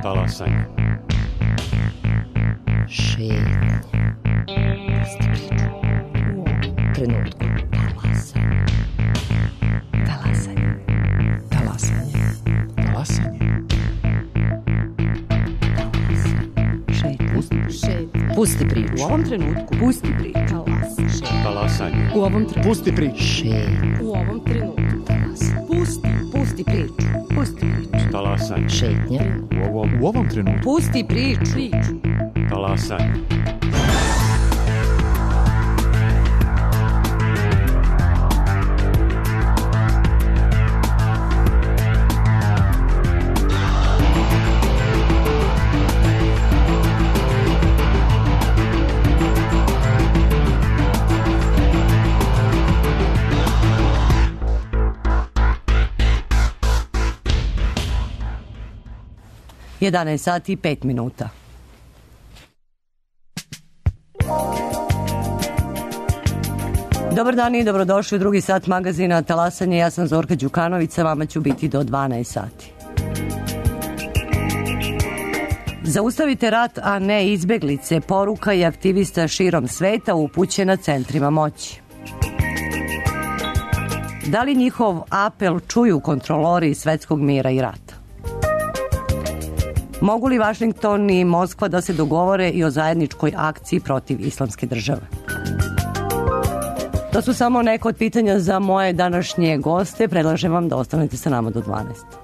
Talasanje. Šetnje. Pusti priču. U ovom trenutku. Talasanje. Talasanje. Talasanje. Talasanje. Šetnje. Pusti priču. U ovom trenutku. Pusti priču. Talasanje. U ovom trenutku. Pusti priču. Šetnje. U ovom trenutku. Talasanje. Pusti priču. Pusti priču. Talasanje. Šetnje. U ovom trenutku. Pusti priču. Talasanje. Jedanaest sati i 5 minuta. Dobar dan i dobrodošli u drugi sat magazina Talasanje. Ja sam Zorka Đukanović, sa vama ću biti do 12 sati. Zaustavite rat, a ne izbeglice. Poruka je aktivista širom sveta upućena centrima moći. Da li njihov apel čuju kontrolori svetskog mira i rata? Mogu li Vašington i Moskva da se dogovore i o zajedničkoj akciji protiv islamske države? To su samo neka od pitanja za moje današnje goste. Predlažem vam da ostanete sa nama do 12.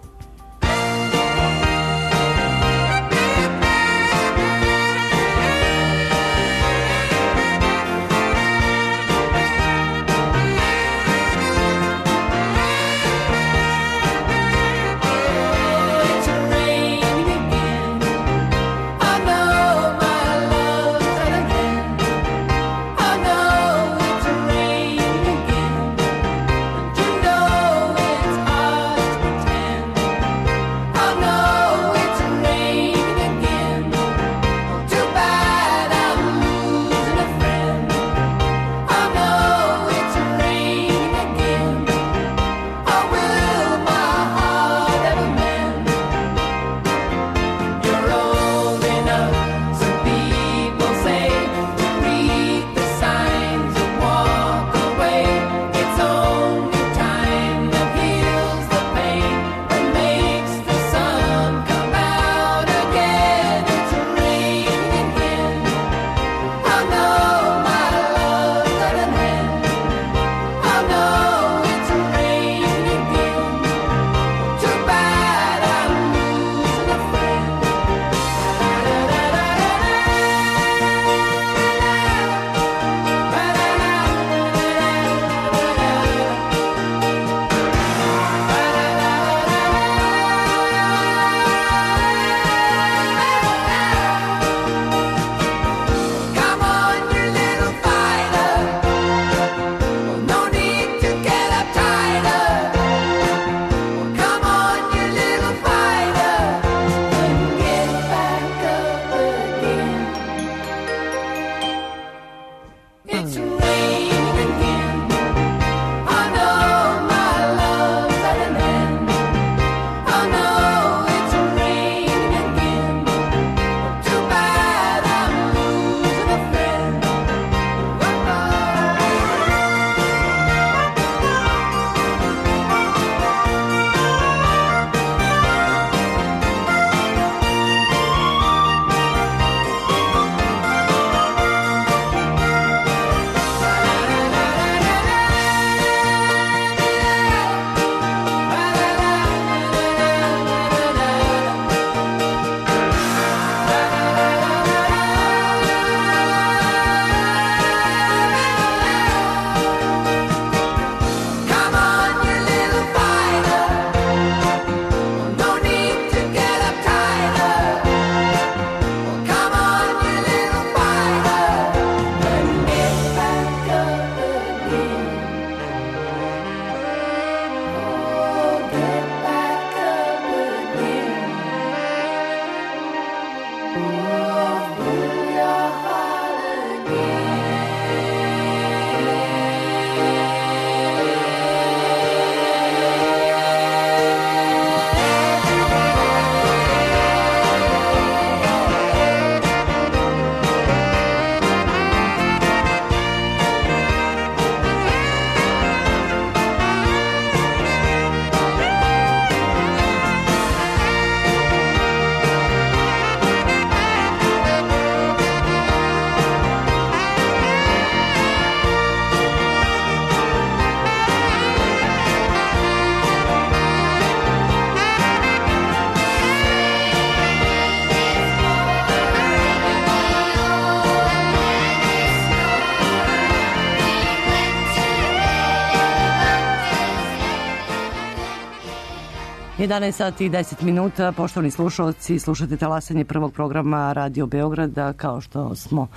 11 sati i 10 minuta, poštovani slušalci, slušate talasanje prvog programa Radio Beograda. Kao što smo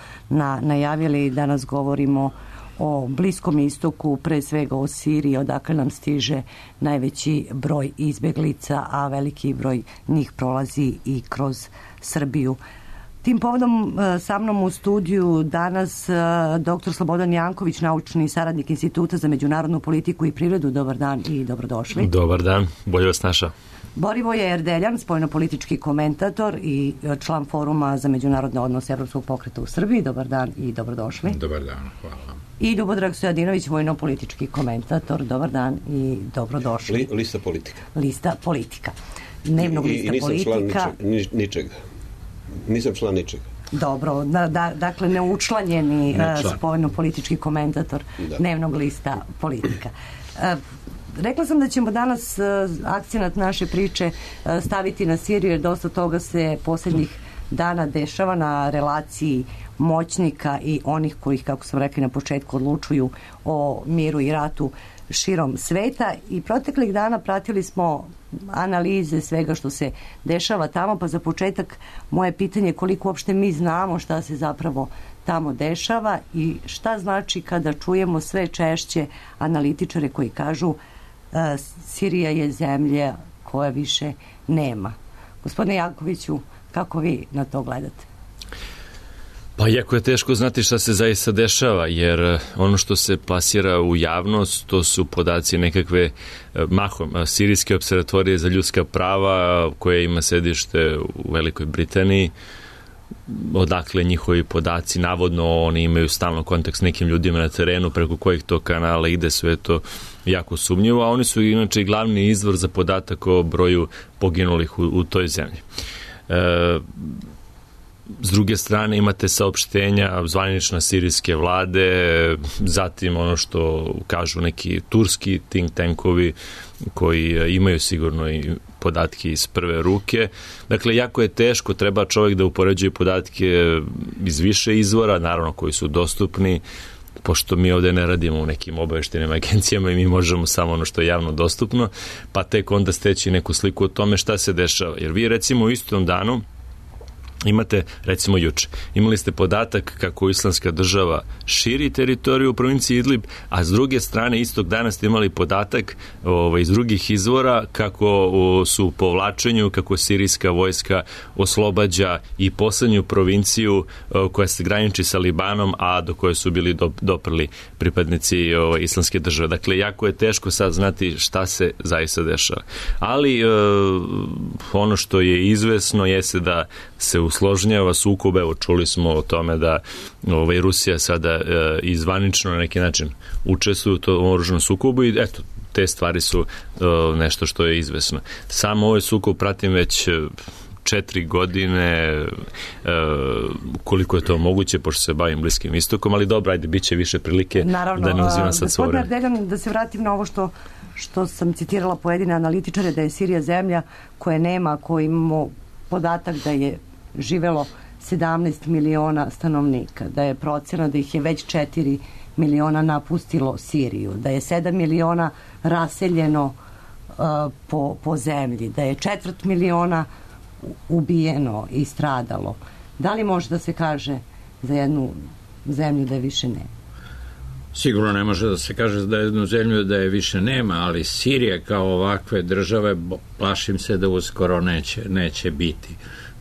najavili, danas govorimo o Bliskom istoku, pre svega o Siriji, odakle nam stiže najveći broj izbeglica, a veliki broj njih prolazi i kroz Srbiju. Tim povodom sa mnom u studiju danas dr. Slobodan Janković, naučni saradnik Instituta za međunarodnu politiku i privredu. Dobar dan i dobrodošli. Dobar dan, bolje vas našao. Borivoje Erdeljan, spoljnopolitički komentator i član Foruma za međunarodne odnose Evropskog pokreta u Srbiji. Dobar dan i dobrodošli. Dobar dan, hvala. I Ljubodrag Stojadinović, vojno-politički komentator. Dobar dan i dobrodošli. Lista politika. Lista politika. Dnevnog lista politika. I nisam član ničega. Nisam član ničega. Dobro, dakle neučlanjeni spoljno-politički komentator dnevnog lista politika. Rekla sam da ćemo danas akcenat naše priče staviti na Siriju, jer dosta toga se posljednjih dana dešava na relaciji moćnika i onih kojih, kako sam rekli na početku, odlučuju o miru i ratu širom sveta. I proteklih dana pratili smo analize svega što se dešava tamo, pa za početak moje pitanje je koliko uopšte mi znamo šta se zapravo tamo dešava i šta znači kada čujemo sve češće analitičare koji kažu Sirija je zemlja koja više nema. Gospodine Jankoviću, kako vi na to gledate? Pa jako je teško znati šta se zaista dešava, jer ono što se plasira u javnost, to su podaci nekakve mahom Sirijske observatorije za ljudska prava, koje ima sedište u Velikoj Britaniji, odakle njihovi podaci, navodno oni imaju stalno kontakt s nekim ljudima na terenu, preko kojih to kanala ide, sve to jako sumnjivo, a oni su inače i glavni izvor za podatak o broju poginulih u toj zemlji. S druge strane imate saopštenja zvanične sirijske vlade, zatim ono što kažu neki turski think tankovi koji imaju sigurno i podatke iz prve ruke. Dakle, jako je teško, treba čovjek da upoređuje podatke iz više izvora, naravno koji su dostupni, pošto mi ovdje ne radimo u nekim obavještajnim agencijama i mi možemo samo ono što je javno dostupno, pa tek onda steći neku sliku o tome šta se dešava. Jer vi recimo u istom danu imate, recimo juče, imali ste podatak kako Islamska država širi teritoriju u provinciji Idlib, a s druge strane istog dana ste imali podatak iz drugih izvora kako su u povlačenju, kako sirijska vojska oslobađa i poslednju provinciju koja se graniči sa Libanom, a do koje su bili doprli pripadnici Islamske države. Dakle, jako je teško sad znati šta se zaista dešava. Ali ono što je izvesno jeste da se usložnjava sukob. Evo, čuli smo o tome da Rusija sada izvanično na neki način učestvuje u tom oružanom sukobu i eto, te stvari su nešto što je izvesno. Samo ovaj sukob pratim već 4 godine, koliko je to moguće, pošto se bavim Bliskim istokom, ali dobro, ajde, bit će više prilike. Naravno, da ne uzimam sad svoje vreme. Gospodine Ardeljan, da se vratim na ovo što sam citirala pojedine analitičare, da je Sirija zemlja koja nema, koja imamo podatak da je živelo 17 miliona stanovnika, da je procena da ih je već 4 miliona napustilo Siriju, da je 7 miliona raseljeno po zemlji, da je 4 miliona ubijeno i stradalo. Da li može da se kaže za jednu zemlju da je više nema? Sigurno ne može da se kaže za jednu zemlju da je više nema, ali Sirija kao ovakve države, plašim se da uskoro neće biti.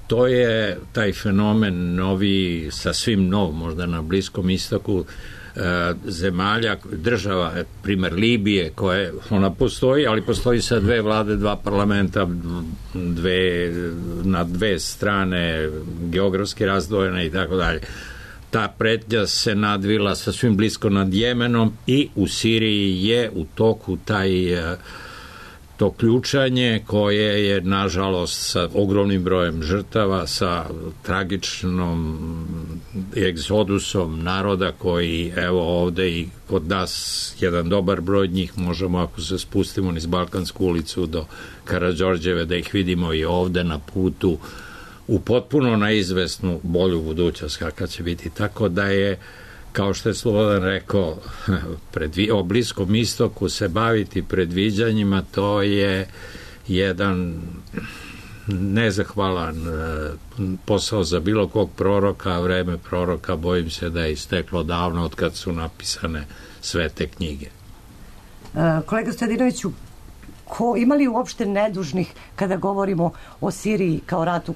To je taj fenomen novi, sasvim nov, možda na Bliskom istoku, zemalja, država, primer Libije, ona postoji, ali postoji sa 2 vlade, 2 parlamenta, na 2 strane, geografski razdvojene i tako dalje. Ta pretnja se nadvila sasvim blisko nad Jemenom i u Siriji je u toku to ključanje koje je, nažalost, sa ogromnim brojem žrtava, sa tragičnom egzodusom naroda koji, evo ovde i kod nas, jedan dobar broj njih možemo, ako se spustimo niz Balkansku ulicu do Karađorđeve, da ih vidimo i ovde na putu u potpuno neizvesnu bolju budućnost kakva će biti. Tako da je, kao što je Slobodan rekao, o Bliskom istoku se baviti predviđanjima, to je jedan nezahvalan posao za bilo kog proroka, a vreme proroka bojim se da je isteklo davno od kad su napisane sve te knjige. Kolega Stojadinoviću, ima li uopšte nedužnih kada govorimo o Siriji kao ratu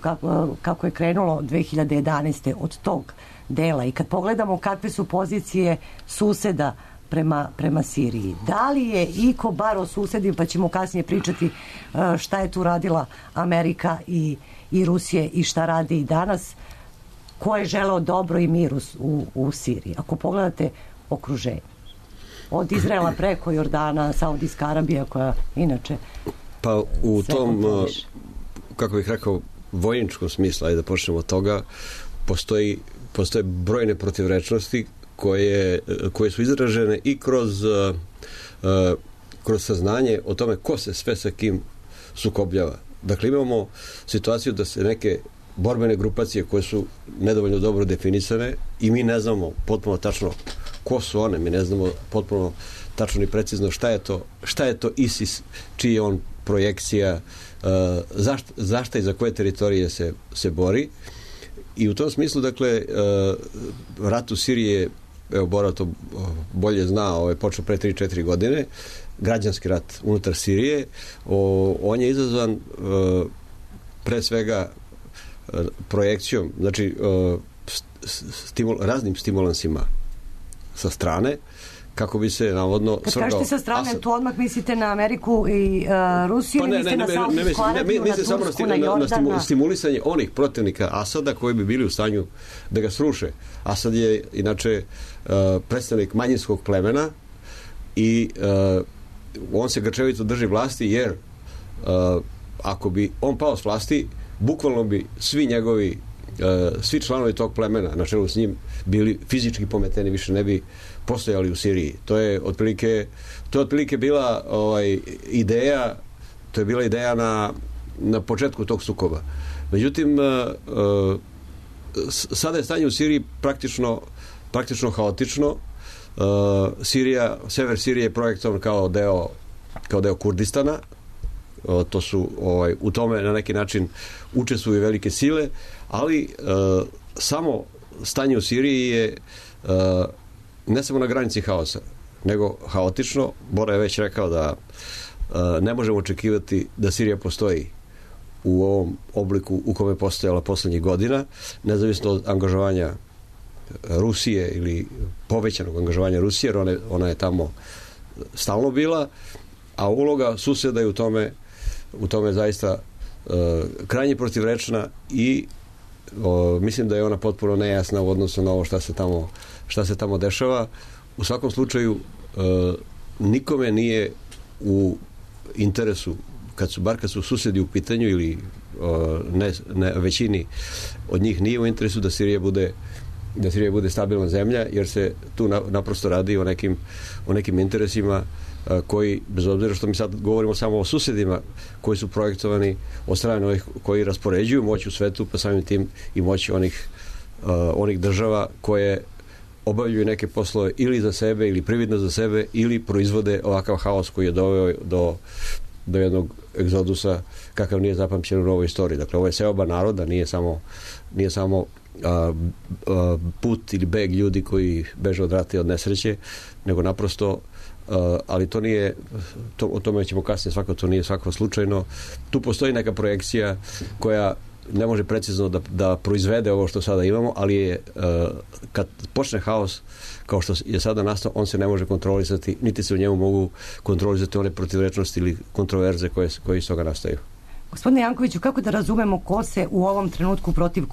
kako je krenulo 2011. od tog dela i kad pogledamo kakve su pozicije suseda prema Siriji. Da li je iko bar o susedima, pa ćemo kasnije pričati šta je tu radila Amerika i Rusije i šta radi i danas, ko je želeo dobro i mir u Siriji? Ako pogledate okruženje. Od Izraela preko Jordana, Saudijska Arabija koja inače... Pa u tom, kako bih rekao, vojničkom smislu, ajde da počnemo od toga, postoje brojne protivrečnosti koje su izražene i kroz saznanje o tome ko se sve sa kim sukobljava. Dakle, imamo situaciju da se neke borbene grupacije koje su nedovoljno dobro definisane i mi ne znamo potpuno tačno ko su one, mi ne znamo potpuno tačno i precizno šta je to ISIS, čiji je on projekcija, zašto i za koje teritorije se bori. I u tom smislu, dakle, rat u Siriji je, evo Bora to bolje zna, počeo pre 3-4 godine, građanski rat unutar Sirije. On je izazvan pre svega projekcijom, znači raznim stimulansima sa strane, kako bi se navodno... Kad kažete sa strane, tu odmah mislite na Ameriku i Rusiju, ili mislite na Saudijsku Arabiju, na Tursku, na Jordana? Na stimulisanje onih protivnika Asada koji bi bili u stanju da ga sruše. Asad je inače predstavnik manjinskog plemena i on se grčevito drži vlasti, jer ako bi on pao s vlasti, bukvalno bi svi članovi tog plemena na čelu s njim bili fizički pometeni, više ne bi postojali u Siriji. To je otprilike bila ideja, to je bila ideja na početku tog sukoba. Međutim, sada je stanje u Siriji praktično haotično. Sever Sirije je projektovan kao deo Kurdistana. To su u tome na neki način učestvuju velike sile, ali samo stanje u Siriji je ne samo na granici haosa, nego haotično. Bora je već rekao da ne možemo očekivati da Sirija postoji u ovom obliku u kome je postojala poslednjih godina, nezavisno od angažovanja Rusije ili povećanog angažovanja Rusije, jer ona je tamo stalno bila, a uloga suseda je u tome zaista krajnje protivrečna i mislim da je ona potpuno nejasna u odnosu na ovo šta se tamo dešava. U svakom slučaju nikome nije u interesu, kad su susedi u pitanju ili ne većini od njih nije u interesu da Sirija bude stabilna zemlja, jer se tu naprosto radi o nekim interesima koji, bez obzira što mi sad govorimo samo o susedima koji su projektovani od strane ovih koji raspoređuju moć u svetu, pa samim tim i moć onih država koje obavljaju neke poslove ili za sebe ili prividno za sebe ili proizvode ovakav haos koji je doveo do jednog egzodusa kakav nije zapamćen u novoj istoriji. Dakle, ovo je seoba naroda, nije samo put ili beg ljudi koji beže od rata i od nesreće, nego naprosto ali to nije, o tome ćemo kasnije, to nije svakako slučajno. Tu postoji neka projekcija koja ne može precizno da proizvede ovo što sada imamo, ali je kad počne haos kao što je sada nastao, on se ne može kontrolisati, niti se u njemu mogu kontrolisati one protivrečnosti ili kontroverze koje iz toga nastaju. Gospodine Jankoviću, kako da razumemo ko se u ovom trenutku protiv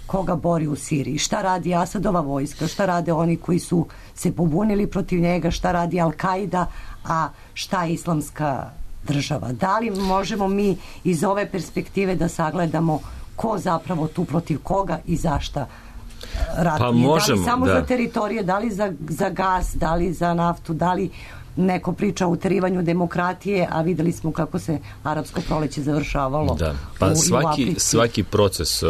koga bori u Siriji? Šta radi Asadova vojska? Šta rade oni koji su se pobunili protiv njega? Šta radi Al-Kaida? A šta Islamska država? Da li možemo mi iz ove perspektive da sagledamo ko zapravo tu protiv koga i zašta ratuje? Pa možemo, da li samo za teritorije, da li za gas, da li za naftu, da li neko priča o uterivanju demokratije, a videli smo kako se arapsko proleće završavalo. Da. Pa svaki proces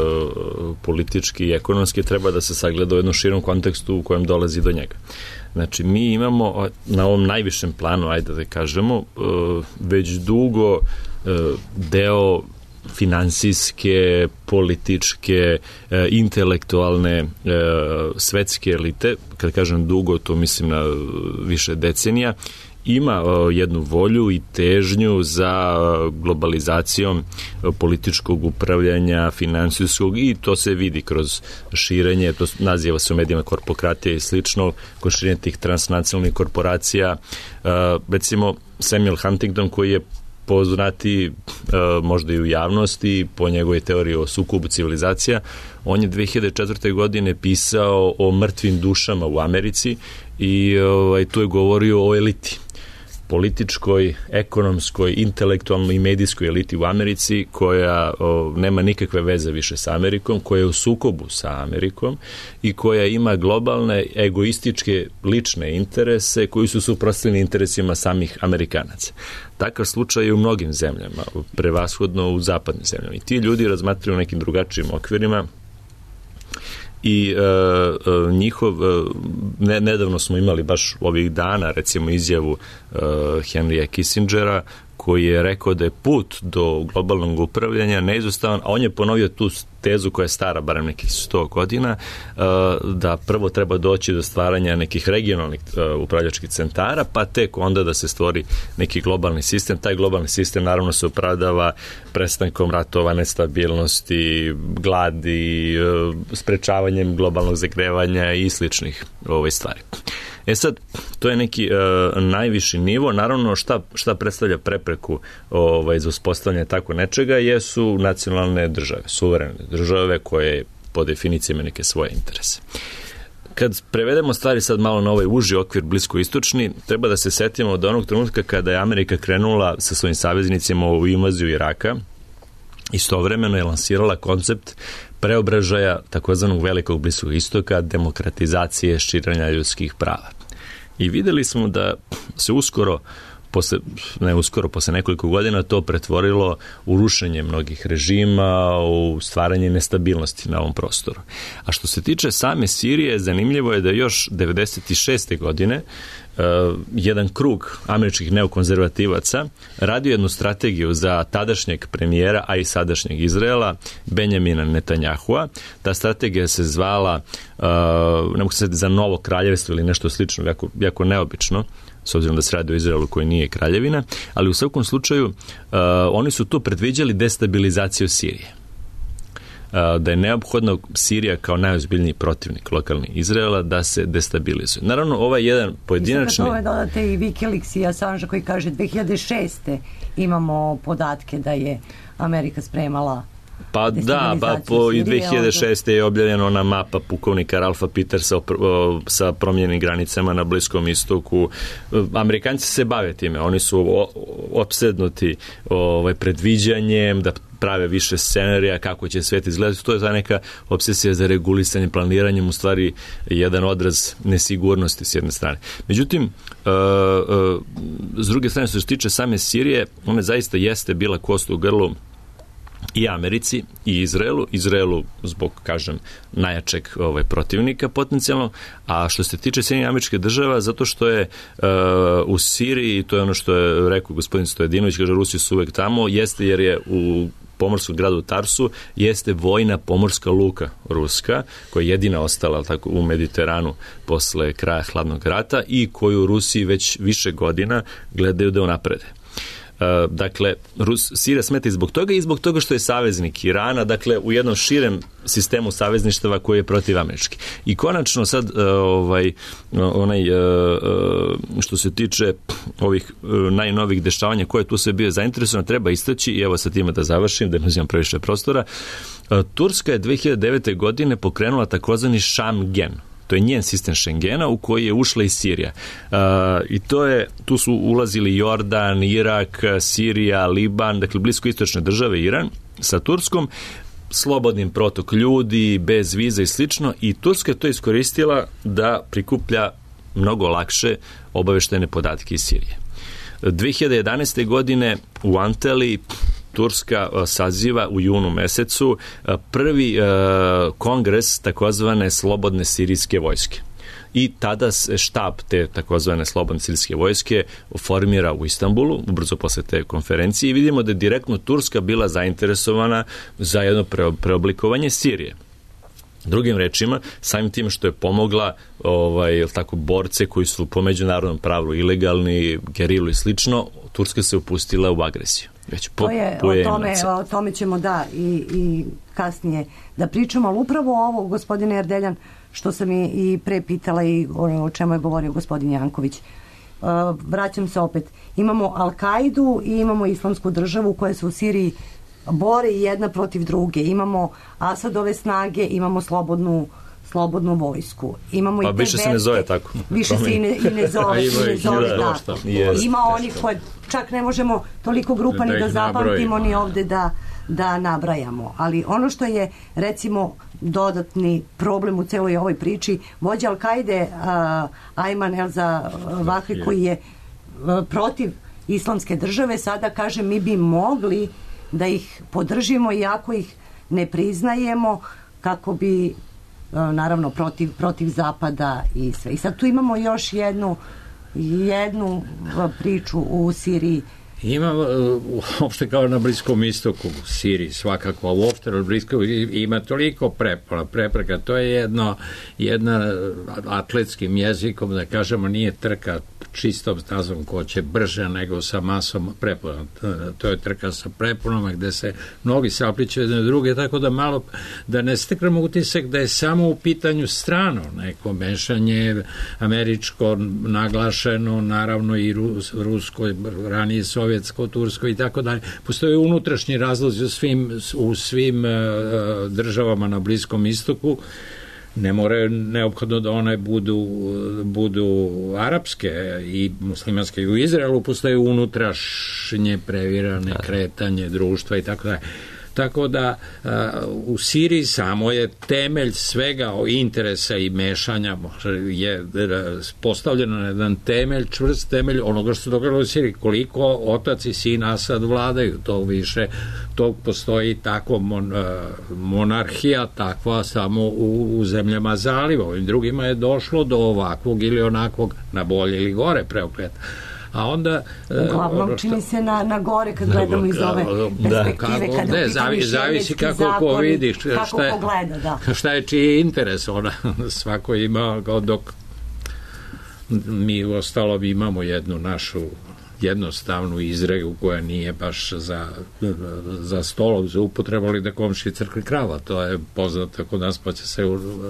politički i ekonomski treba da se sagleda u jednom širom kontekstu u kojem dolazi do njega. Znači, mi imamo na ovom najvišem planu, ajde da kažemo, već dugo deo finansijske, političke, intelektualne svetske elite, kad kažem dugo, to mislim na više decenija, ima jednu volju i težnju za globalizacijom političkog upravljanja, finansijskog, i to se vidi kroz širenje, to naziva se u medijima korpokratija i slično, kroz širenje tih transnacionalnih korporacija. Recimo, Samuel Huntington, koji je poznati možda i u javnosti po njegovoj teoriji o sukobu civilizacija, on je 2004. godine pisao o mrtvim dušama u Americi i tu je govorio o eliti, političkoj, ekonomskoj, intelektualnoj i medijskoj eliti u Americi, koja nema nikakve veze više sa Amerikom, koja je u sukobu sa Amerikom i koja ima globalne, egoističke, lične interese koji su suprotstavljeni interesima samih Amerikanaca. Takav slučaj je u mnogim zemljama, prevashodno u zapadnim zemljama. I ti ljudi razmatraju nekim drugačijim okvirima i nedavno smo imali baš ovih dana, recimo, izjavu Henrya Kissingera, koji je rekao da je put do globalnog upravljanja neizostavan, a on je ponovio tu tezu koja je stara barem nekih 100 godina, da prvo treba doći do stvaranja nekih regionalnih upravljačkih centara, pa tek onda da se stvori neki globalni sistem. Taj globalni sistem naravno se opravdava prestankom ratova, nestabilnosti, gladi, sprečavanjem globalnog zagrevanja i sličnih stvari. Sad, to je neki najviši nivo. Naravno, šta predstavlja prepreku za uspostavljanje tako nečega jesu nacionalne države, suverene države koje po definiciji imaju neke svoje interese. Kad prevedemo stvari sad malo na ovaj uži okvir bliskoistočni, treba da se setimo od onog trenutka kada je Amerika krenula sa svojim saveznicima u invaziju Iraka, istovremeno je lansirala koncept preobražaja takozvanog velikog Bliskog istoka, demokratizacije, širenja ljudskih prava. I videli smo da se posle nekoliko godina to pretvorilo u rušenje mnogih režima, u stvaranje nestabilnosti na ovom prostoru. A što se tiče same Sirije, zanimljivo je da još 96. godine jedan krug američkih neokonzervativaca radio jednu strategiju za tadašnjeg premijera, a i sadašnjeg Izraela, Benjamina Netanyahua. Ta strategija se zvala, ne mogu se za novo kraljevstvo ili nešto slično, jako neobično, s obzirom da se radi o Izraelu koji nije kraljevina, ali u svakom slučaju oni su tu predviđali destabilizaciju Sirije. Da je neophodno Sirija kao najozbiljniji protivnik lokalni Izraela da se destabilizuje. Naravno, ovaj jedan pojedinačni... Mislim da to dodate i Wikileaks i Assange koji kaže 2006. imamo podatke da je Amerika spremala Pa da, i 2006. je objavljena ona mapa pukovnika Ralfa Petersa sa promijenjenim granicama na Bliskom istoku. Amerikanci se bave time, oni su opsednuti predviđanjem, da prave više scenarija, kako će svet izgledati. To je ta neka obsesija za regulisanje, planiranjem, u stvari jedan odraz nesigurnosti s jedne strane. Međutim, s druge strane, što se tiče same Sirije, ona zaista jeste bila kost u grlu i Americi i Izraelu zbog, kažem, najjačeg protivnika potencijalno, a što se tiče Sjedinjenih Američkih Država, zato što je u Siriji, to je ono što je rekao gospodin Stojadinović, kaže Rusi su uvek tamo, jeste jer je u pomorskom gradu Tarsu jeste vojna pomorska luka ruska, koja je jedina ostala tako, u Mediteranu posle kraja hladnog rata i koju Rusi već više godina gledaju da unaprede. Dakle, Sirija smeta i zbog toga što je saveznik Irana, dakle, u jednom širem sistemu savezništava koji je protivamerički. I konačno sad, što se tiče ovih najnovih dešavanja koje tu sve bio zainteresovan, treba istaći, i evo sa time da završim, da ne uzimam previše prostora, Turska je 2009. godine pokrenula takozvani Schengen. To je njen sistem Schengena u koji je ušla i Sirija. I tu su ulazili Jordan, Irak, Sirija, Liban, dakle bliskoistočne države, Iran, sa Turskom, slobodnim protok ljudi, bez viza i slično, i Turska je to iskoristila da prikuplja mnogo lakše obaveštajne podatke iz Sirije. 2011. godine u Anteli Turska saziva u junu mesecu prvi kongres takozvane slobodne sirijske vojske. i tada se štab te takozvane slobodne sirijske vojske formira u Istanbulu, ubrzo posle te konferencije, i vidimo da je direktno Turska bila zainteresovana za jedno preoblikovanje Sirije. Drugim rečima, samim tim što je pomogla tako, borce koji su po međunarodnom pravu ilegalni, gerilu i slično, Turska se upustila u agresiju. Već o tome ćemo i kasnije da pričamo, ali upravo ovo, gospodine Erdeljan, što sam i pre pitala i o čemu je govorio gospodin Janković. Vraćam se opet. Imamo Al-Kaidu i imamo Islamsku državu koja se u Siriji bore jedna protiv druge. Imamo Asadove snage, imamo slobodnu vojsku. Imamo pa više se ne zove tako. Više se i ne zove tako. Ima onih koje čak ne možemo toliko grupa ni da zapamtimo ni ovde da nabrajamo. Ali ono što je, recimo, dodatni problem u celoj ovoj priči, vođa Al-Kaide Ayman el-Zawahiri, koji je protiv Islamske države, sada kaže mi bi mogli da ih podržimo iako ih ne priznajemo, kako bi naravno protiv Zapada i sve. I sad tu imamo još jednu priču u Siriji. Ima uopšte kao na Bliskom istoku, u Siriji svakako, a uopšte na Bliskom ima toliko prepreka. To je jedna atletskim jezikom, da kažemo, nije trka čistom stazom ko će brže nego sa masom prepona. To je trka sa preponama gde se mnogi sapliću jedne druge, tako da malo da ne steknemo utisak da je samo u pitanju strano neko mešanje američko naglašeno, naravno i rusko, ranije sovjetsko, tursko i tako dalje. Postoje unutrašnji razlozi u svim državama na Bliskom istoku. Ne more neophodno da one budu arapske i muslimanske. I u Izraelu postoje unutrašnje previrane kretanje društva i tako dalje. Tako da u Siriji samo je temelj svega interesa i mešanja je postavljeno na jedan temelj, čvrst temelj onoga što se događalo u Siriji. Koliko otac i sin Asad vladaju, to više, to postoji takva monarhija, takva samo u zemljama zaliva. Ovim drugima je došlo do ovakvog ili onakvog, na bolje ili gore preokreta. A onda uglavnom čini se na gore kad gledamo iz ove perspektive, zavisi kako ko vidiš šta je čiji interes, svako ima, dok mi ostalo imamo jednu našu jednostavnu izreku koja nije baš za stolom za upotrebu, ali da komši crkli krava, to je poznato kod nas, pa će se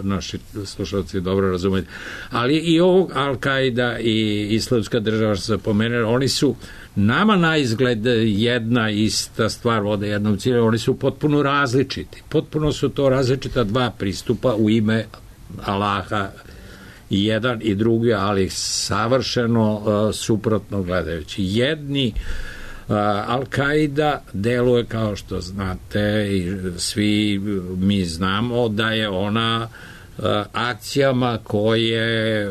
naši slušalci dobro razumjeti. Ali i ovog Al-Kaida i Islamska država, što se pomenuli, oni su nama na izgled jedna ista stvar vode jednom cilju, oni su potpuno različiti. Potpuno su to različita dva pristupa u ime Allaha, i jedan i drugi, ali savršeno suprotno gledajući. Jedni Al-Kaida deluje, kao što znate i svi mi znamo, da je ona akcijama koje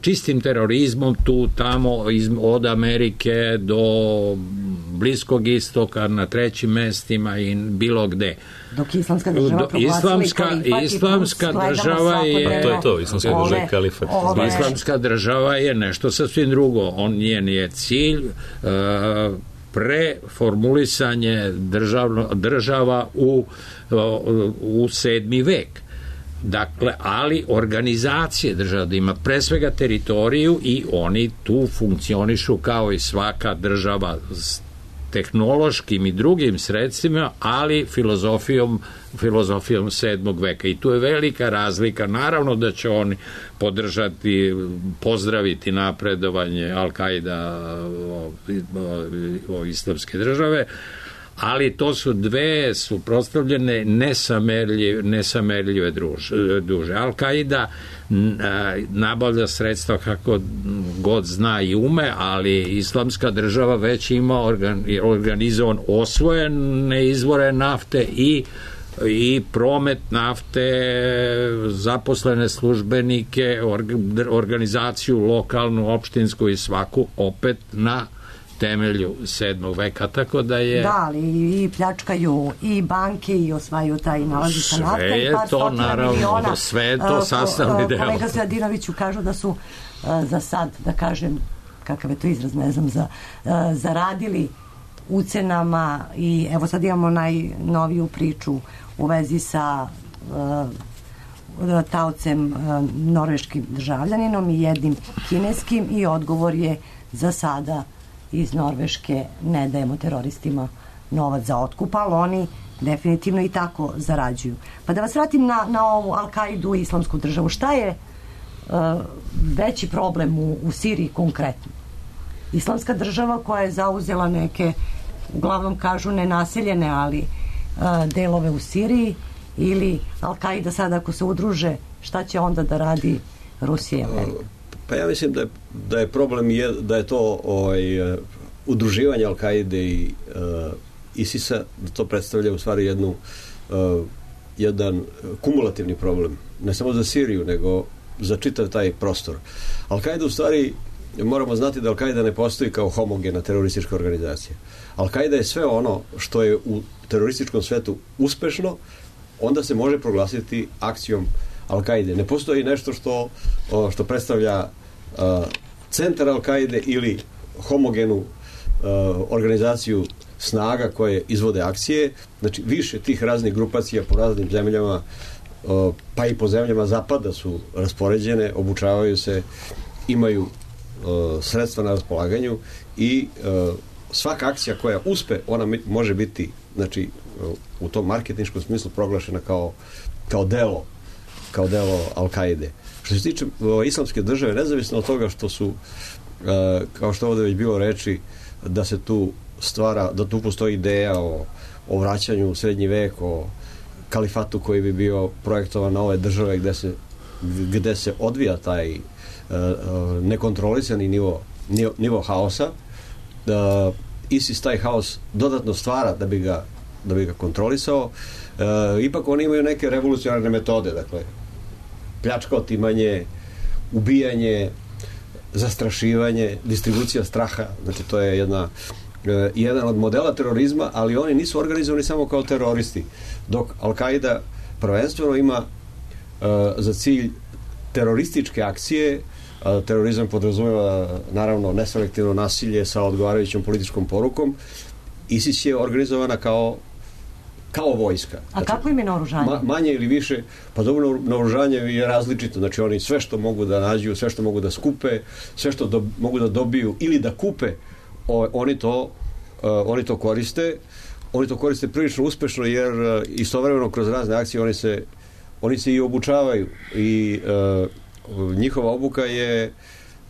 čistim terorizmom tu tamo od Amerike do Bliskog istoka na trećim mestima i bilo gde. Dok Islamska država Islamska država je Islamska država je nešto sasvim drugo. Njen je cilj preformulisanje država u 7. vek. Dakle, ali organizacije država da ima pre svega teritoriju i oni tu funkcionišu kao i svaka država s tehnološkim i drugim sredstvima, ali filozofijom 7. veka. I tu je velika razlika. Naravno da će oni podržati, pozdraviti napredovanje Al-Kaida Islamske države, ali to su dve suprotstavljene nesamerljive duže. Al-Kaida nabavlja sredstva kako god zna i ume, ali Islamska država već ima organizovan osvojene izvore nafte i promet nafte, zaposlene službenike, organizaciju lokalnu, opštinsku i svaku, opet na temelju 7. veka, tako da je... Da, ali i pljačkaju i banke i osvajaju taj nalazi sa nafta. Sve je to, naravno, sve je to sastavni deo. Kolega Stojadinoviću kažu da su za sad, da kažem, kakav je to izraz, ne znam, zaradili ucenama i evo sad imamo najnoviju priču u vezi sa taocem norveškim državljaninom i jednim kineskim i odgovor je za sada iz Norveške ne dajemo teroristima novac za otkup, ali oni definitivno i tako zarađuju. Pa da vas vratim na ovu Al-Kaidu i islamsku državu. Šta je veći problem u Siriji konkretno? Islamska država koja je zauzela neke, uglavnom kažu nenaseljene, ali delove u Siriji, ili Al-Kaida sad ako se udruže, šta će onda da radi Rusija i Amerika? Pa ja mislim da je problem da je to udruživanje Al-Kaide i ISIS-a, da to predstavlja u stvari jedan kumulativni problem, ne samo za Siriju, nego za čitav taj prostor. Al-Kaida u stvari, moramo znati da Al-Kaida ne postoji kao homogena teroristička organizacija. Al-Kaida je sve ono što je u terorističkom svetu uspešno, onda se može proglasiti akcijom Al-Kaide. Ne postoji nešto što predstavlja centar Al-Kaide ili homogenu organizaciju snaga koje izvode akcije. Znači, više tih raznih grupacija po raznim zemljama, pa i po zemljama zapada su raspoređene, obučavaju se, imaju sredstva na raspolaganju i svaka akcija koja uspe, ona može biti, znači, u tom marketinškom smislu proglašena kao delo Al-Kaide. Što se tiče islamske države, nezavisno od toga što su, kao što ovdje već bilo reči, da se tu stvara, da tu postoji ideja o vraćanju u srednji vek, o kalifatu koji bi bio projektovan na ove države gde se odvija taj nekontrolisani nivo haosa. ISIS taj haos dodatno stvara da bi ga kontrolisao. Ipak oni imaju neke revolucionarne metode, dakle pljačka, otimanje, ubijanje, zastrašivanje, distribucija straha, znači to je jedan od modela terorizma, ali oni nisu organizovani samo kao teroristi, dok Al-Kaida prvenstveno ima za cilj terorističke akcije. Terorizam podrazumeva naravno neselektivno nasilje sa odgovarajućom političkom porukom. ISIS je organizovana kao vojska. A kako im je naoružanje? Manje ili više, pa dobro, naoružanje je različito. Znači oni sve što mogu da nađu, sve što mogu da skupe, sve što mogu da dobiju ili da kupe, oni to koriste. Oni to koriste prilično uspešno, jer istovremeno kroz razne akcije oni se i obučavaju i njihova obuka je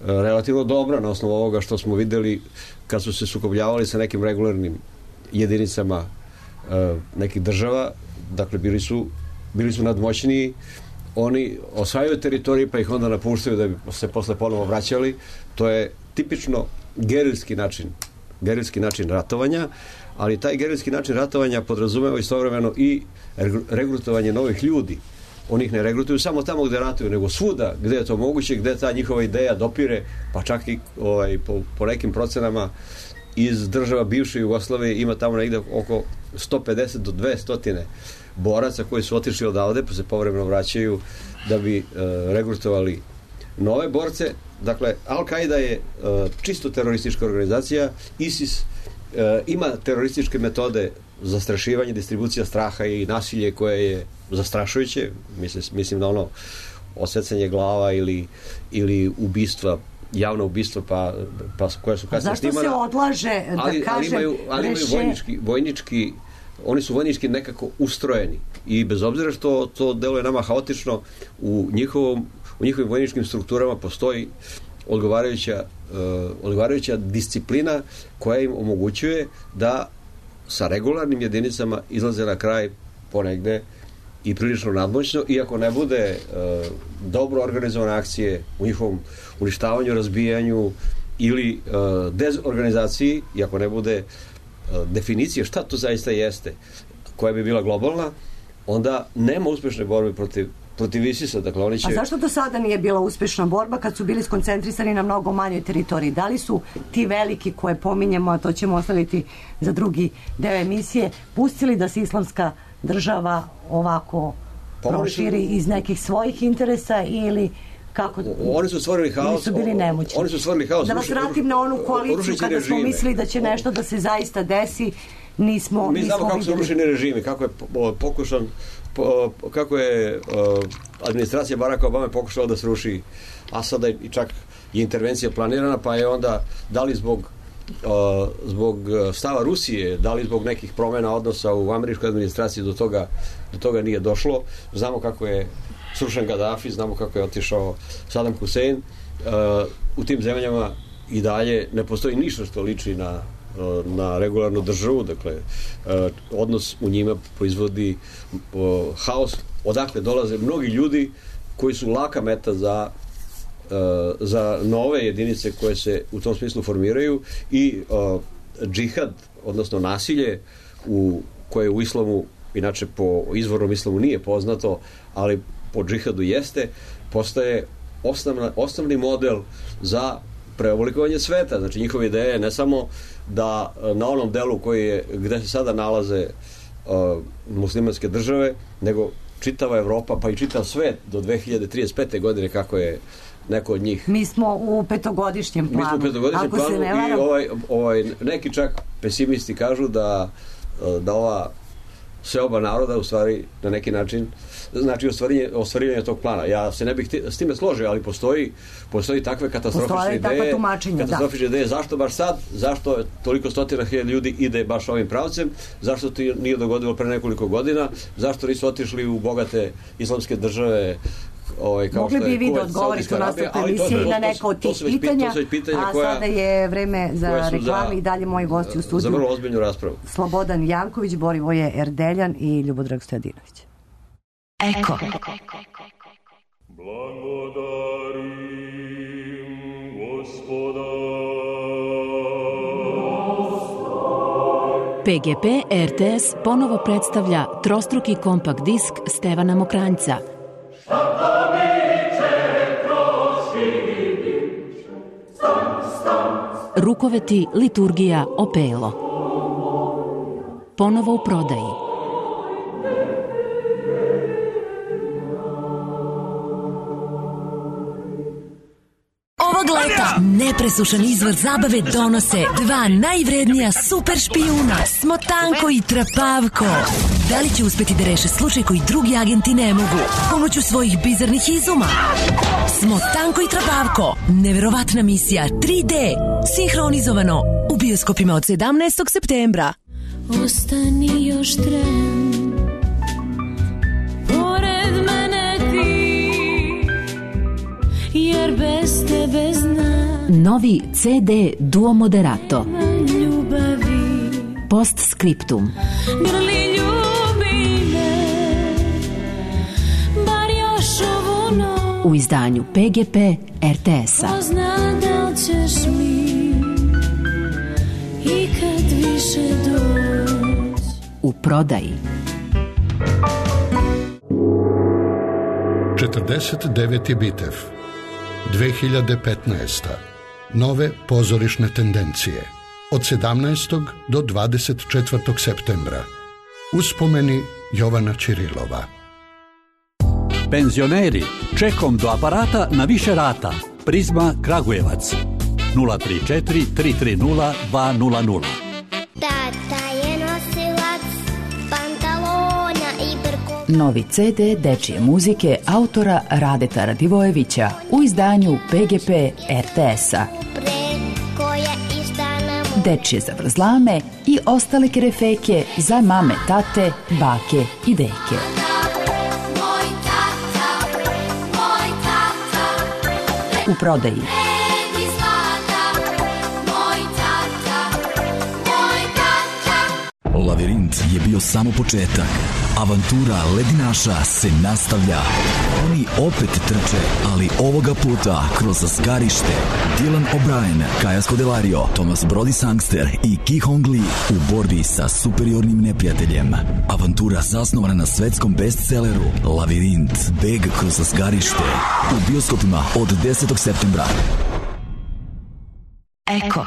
relativno dobra na osnovu ovoga što smo videli kad su se sukobljavali sa nekim regularnim jedinicama nekih država. Dakle, bili su nadmoćniji, oni osvajaju teritorije pa ih onda napuštaju da bi se posle ponovo vraćali. To je tipično gerilski način ratovanja, ali taj gerilski način ratovanja podrazumeva istovremeno i regrutovanje novih ljudi. Oni ih ne regrutuju samo tamo gde ratuju, nego svuda gde je to moguće, gde ta njihova ideja dopire, pa čak i po nekim procenama iz država bivše Jugoslavije ima tamo negde oko 150 do 200 boraca koji su otišli odavde pa se povremeno vraćaju da bi regrutovali nove borce. Dakle, Al-Kaida je čisto teroristička organizacija. ISIS ima terorističke metode zastrašivanje, distribucija straha i nasilje koje je zastrašujuće. Mislim na ono osecanje glava ili ubistva, javno ubistvo pa koja su kasnije snimana. Zašto se odlaže ali imaju vojnički, oni su vojnički nekako ustrojeni i bez obzira što to deluje nama haotično, u njihovim vojničkim strukturama postoji odgovarajuća disciplina koja im omogućuje da sa regularnim jedinicama izlaze na kraj ponegde i prilično nadmoćno, iako ne bude dobro organizovane akcije u njihovom uništavanju, razbijanju ili dezorganizaciji, iako ne bude definicije šta to zaista jeste, koja bi bila globalna, onda nema uspešne borbe protiv ISIS-a, dakle oni će... A zašto do sada nije bila uspešna borba kad su bili skoncentrisani na mnogo manjoj teritoriji? Da li su ti veliki koje pominjemo, a to ćemo ostaviti za drugi deo emisije, pustili da se islamska država ovako proširi iz nekih svojih interesa ili kako? Oni su stvorili haos. Oni su bili nemoćni. Oni su stvorili haos. Da vas vratim na onu koaliciju kada smo mislili da će nešto da se zaista desi, nismo Mi znamo kako su rušeni režimi, kako je pokušan kako je administracija Baracka Obame pokušala da sruši Asada i čak je intervencija planirana, pa je onda da li zbog stava Rusije, da li zbog nekih promena odnosa u američkoj administraciji do toga nije došlo. Znamo kako je srušen Gaddafi, znamo kako je otišao Saddam Hussein. U tim zemljama i dalje ne postoji ništa što liči na regularnu državu, dakle odnos u njima proizvodi haos, odakle dolaze mnogi ljudi koji su laka meta za nove jedinice koje se u tom smislu formiraju i džihad, odnosno nasilje koje u islamu, inače po izvornom islamu nije poznato, ali po džihadu jeste, postaje osnovni model za preoblikovanje sveta. Znači njihova ideja je ne samo da na onom delu gde se sada nalaze muslimanske države, nego čitava Evropa, pa i čitav svet do 2035. godine, kako je neko od njih. Mi smo u petogodišnjem planu. I neki čak pesimisti kažu da ova seoba naroda u stvari na neki način znači ostvarivanje tog plana. Ja se ne bih s time složio, ali postoji takve katastrofične ideje. Zašto baš sad? Zašto toliko stotina hiljada ljudi ide baš ovim pravcem? Zašto to nije dogodilo pre nekoliko godina? Zašto nisu otišli u bogate islamske države? Mogli bi vi da odgovorite u nastavku emisije na neka od tih pitanja, a sada je vreme za reklame i dalje moji gosti u studiju. Za vrlo ozbiljnu raspravu. Slobodan Janković, Borivoje Erdeljan i Ljubodrag Stojadinović. Eko. Blagodarim Gospoda. PGP RTS ponovo predstavlja trostruki kompakt disk Stevana Mokranjca. Rukoveti liturgija Opelo. Ponovo u prodaji. Ovog leta nepresušan izvor zabave donose dva najvrednija super špijuna, Smotanko i Trapavko. Da li će uspeti da reše slučaj koji drugi agenti ne mogu pomoću svojih bizarnih izuma? Smotanko i Trapavko, neverovatna misija 3D, sinhronizovano u bioskopima od 17. septembra. Ostani još tren, pored mene ti, jer bez tebe znam. Novi CD Duo Moderato. Ljubavi. Postscriptum. Grli ljubi me, bar još ovu noć. U izdanju PGP RTS-a. Pozna da li ćeš mi ikad više doći. U prodaji. 49. bitev 2015. Nove pozorišne tendencije od 17. do 24. septembra. Uspomeni Jovana Ćirilova. Penzioneri, čekom do aparata na više rata. Prizma Kragujevac 034 330 200. Tata je nosilac pantalona i brkova. Novi CD dečije muzike autora Radeta Radivojevića u izdanju PGP RTS-a. Dečije zavrzlame i ostale kerefeke za mame, tate, bake i deke. U prodaji. Lavirint je bio samo početak. Avantura ledinaša se nastavlja. Oni opet trče, ali ovoga puta kroz zgarište. Dylan O'Brien, Kaja Scodelario, Thomas Brody Sangster i Ki Hong Lee u borbi sa superiornim neprijateljem. Avantura zasnovana na svetskom bestselleru Lavirint, beg kroz zgarište. U bioskopima od 10. septembra. Eko.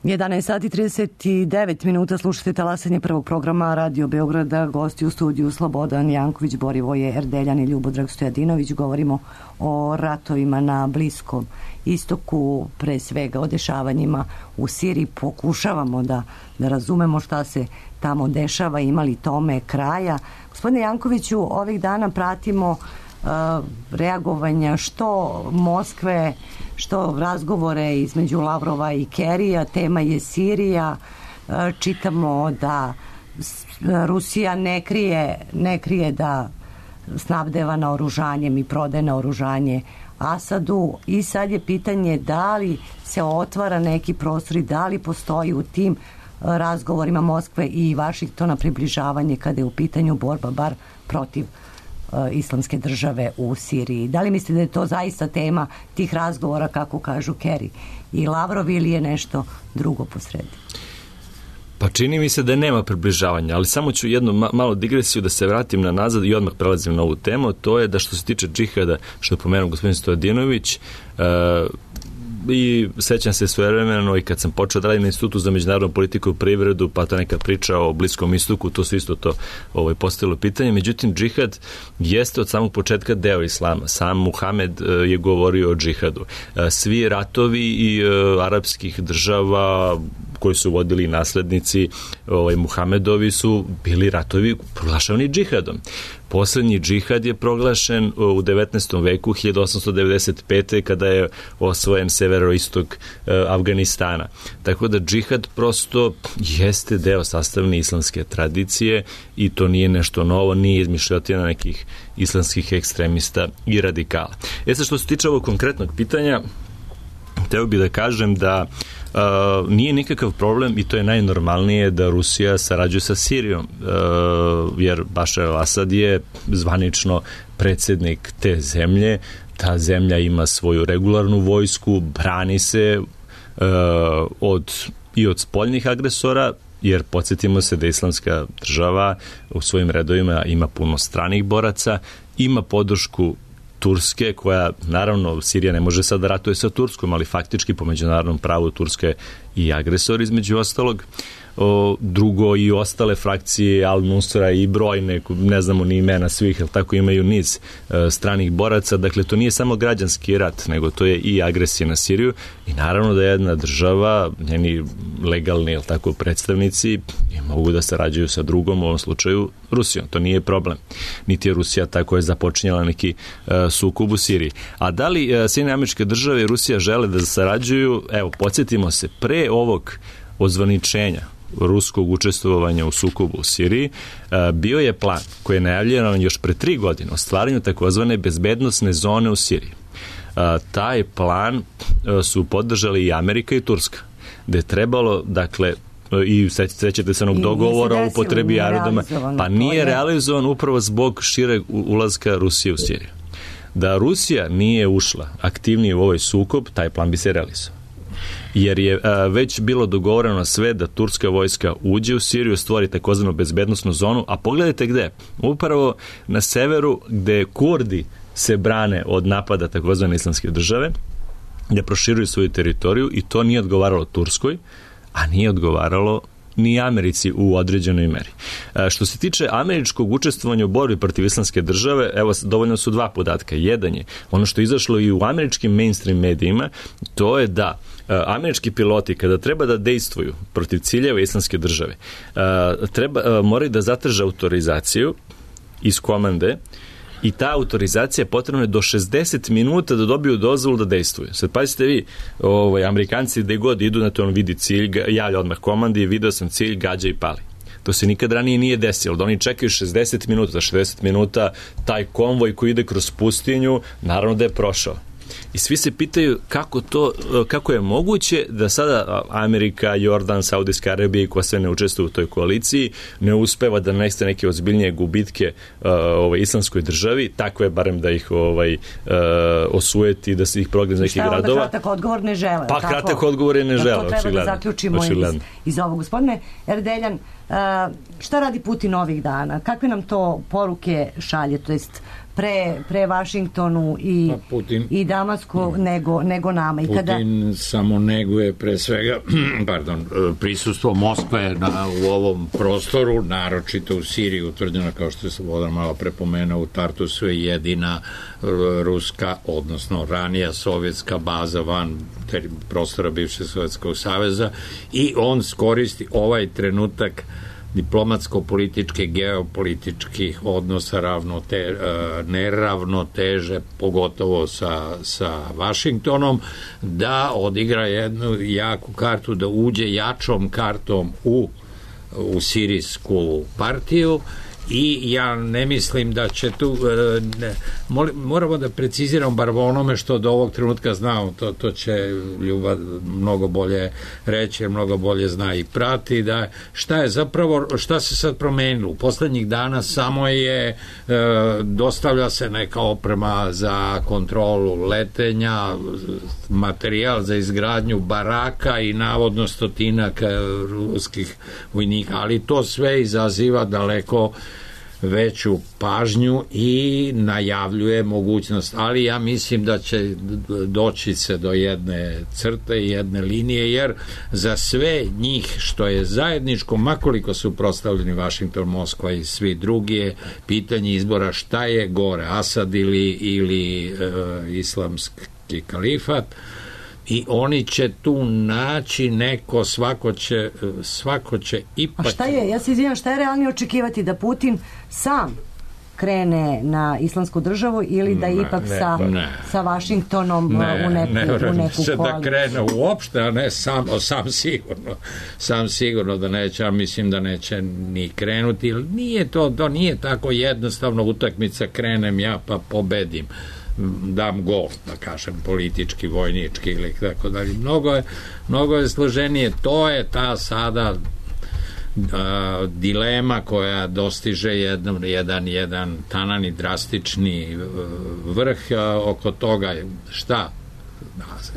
11 sati 39 minuta, slušate talasanje prvog programa Radio Beograda. Gosti u studiju Slobodan Janković, Borivoje Erdeljan i Ljubodrag Stojadinović. Govorimo o ratovima na Bliskom istoku, pre svega o dešavanjima u Siriji. Pokušavamo da razumemo šta se tamo dešava, imali tome kraja. Gospodine Jankoviću, ovih dana pratimo reagovanja što Moskve, što razgovore između Lavrova i Kerija. Tema je Sirija. Čitamo da Rusija ne krije da snabdeva naoružanjem i prodaje naoružanje Asadu, i sad je pitanje da li se otvara neki prostor i da li postoji u tim razgovorima Moskve i Vašingtona približavanje kada je u pitanju borba bar protiv islamske države u Siriji. Da li mislite da je to zaista tema tih razgovora, kako kažu Kerry i Lavrov, ili je nešto drugo posredi? Pa čini mi se da nema približavanja, ali samo ću jednu malu digresiju da se vratim na nazad i odmah prelazim na ovu temu. To je da što se tiče džihada, što je pomenuo gospodin Stojadinović, i sećam se svojevremeno i kad sam počeo da radim na Institutu za međunarodnu politiku i privredu, pa ta neka priča o Bliskom istoku, to su isto to postavilo pitanje. Međutim, džihad jeste od samog početka deo islama. Sam Muhamed je govorio o džihadu. Svi ratovi i arapskih država koji su vodili naslednici Muhamedovi su bili ratovi proglašavani džihadom. Poslednji džihad je proglašen u 19. veku, 1895. kada je osvojen severoistok Afganistana. Tako da džihad prosto jeste deo sastavne islamske tradicije i to nije nešto novo, nije izmišljotina nekih islamskih ekstremista i radikala. Sad što se tiče ovog konkretnog pitanja, hteo bih da kažem da nije nikakav problem, i to je najnormalnije, da Rusija sarađuje sa Sirijom, jer Bašar al-Asad je zvanično predsjednik te zemlje. Ta zemlja ima svoju regularnu vojsku, brani se od spoljnih agresora, jer podsjetimo se da islamska država u svojim redovima ima puno stranih boraca, ima podršku Turske, koja, naravno, Sirija ne može sad da ratuje sa Turskom, ali faktički po međunarodnom pravu Turska je i agresor između ostalog. Drugo, i ostale frakcije Al-Nusra i brojne, ne znamo ni imena svih, ali tako imaju niz stranih boraca. Dakle, to nije samo građanski rat, nego to je i agresija na Siriju, i naravno da jedna država, njeni legalni, ali tako, predstavnici mogu da sarađuju sa drugom, u ovom slučaju Rusijom. To nije problem. Niti je Rusija tako je započinjala neki sukob u Siriji. A da li Sjedinjene Američke Države i Rusija žele da sarađuju? Evo, podsjetimo se, pre ovog ozvaničenja ruskog učestvovanja u sukobu u Siriji, bio je plan koji je najavljen još pre 3 godine o stvaranju takozvane bezbednosne zone u Siriji. Taj plan su podržali i Amerika i Turska, gde je trebalo, dakle, i sećate se onog dogovora o upotrebi aerodroma, pa nije realizovan upravo zbog šireg ulaska Rusije u Siriju. Da Rusija nije ušla aktivnije u ovaj sukob, taj plan bi se realizovao. Jer je već bilo dogovoreno sve da turska vojska uđe u Siriju, stvori takozvanu bezbednosnu zonu, a pogledajte gde. Upravo na severu, gde Kurdi se brane od napada takozvane islamske države, gde proširuju svoju teritoriju, i to nije odgovaralo Turskoj, a nije odgovaralo ni Americi u određenoj meri. Što se tiče američkog učestvovanja u borbi protiv islamske države, evo, dovoljno su 2 podatka. Jedan je ono što je izašlo i u američkim mainstream medijima, to je da američki piloti kada treba da dejstvuju protiv ciljeva islamske države, moraju da zatraže autorizaciju iz komande, i ta autorizacija potrebna je do 60 minuta da dobiju dozvolu da dejstvuju. Sad pazite vi, Amerikanci gde god idu, na to on vidi cilj, javlja odmah komandi, video sam cilj, gađa i pali. To se nikad ranije nije desilo, da oni čekaju 60 minuta, za 60 minuta taj konvoj koji ide kroz pustinju, naravno da je prošao. i svi se pitaju kako je moguće da sada Amerika, Jordan, Saudijska Arabija, koja sve ne učestvuje u toj koaliciji, ne uspeva da nanese neke ozbiljnije gubitke islamskoj državi, takve barem da ih osujeti, da se ih progne iz nekih gradova. Šta je onda kratak odgovor? Ne žele. Pa kratak odgovor je ne žele. To treba da zaključimo iz ovog. Gospodine Erdeljan, šta radi Putin ovih dana? Kakve nam to poruke šalje? To jest pre Vašingtonu i Damasku nego nama. Putin samo neguje pre svega prisustvo Moskve u ovom prostoru, naročito u Siriji, utvrđeno, kao što je Slobodan malo prepomenuo, u Tartusu je jedina ruska, odnosno ranija sovjetska baza van prostora bivšeg Sovjetskog saveza, i on skoristi ovaj trenutak diplomatsko-političke, geopolitičkih odnosa neravnoteže, pogotovo sa Vašingtonom, da odigra jednu jaku kartu, da uđe jačom kartom u sirijsku partiju. I ja ne mislim da će tu moramo da preciziramo bar onome što do ovog trenutka znamo, to će Ljuba mnogo bolje reći, mnogo bolje zna i prati, da šta se sad promenilo u poslednjih dana. Samo je dostavlja se neka oprema za kontrolu letenja, materijal za izgradnju baraka i navodno stotinak ruskih vojnika, ali to sve izaziva daleko veću pažnju i najavljuje mogućnost, ali ja mislim da će doći se do jedne crte, jedne linije, jer za sve njih što je zajedničko, makoliko su prostavljeni Vašington, Moskva i svi drugi, je pitanje izbora šta je gore, Asad ili islamski kalifat. I oni će tu naći neko, svako će ipak... A šta je, ja se izvinjam, šta je realnije očekivati, da Putin sam krene na islamsku državu ili da ipak sa Vašingtonom u neku koaliciju? Da krene uopšte, a ne sam sigurno da neće, a mislim da neće ni krenuti. Nije to nije tako jednostavno utakmica, krenem ja pa pobedim, dam gol, da kažem, politički, vojnički ili tako dalje. Mnogo je složenije. To je ta sada dilema koja dostiže jedan tanan i drastični vrh oko toga šta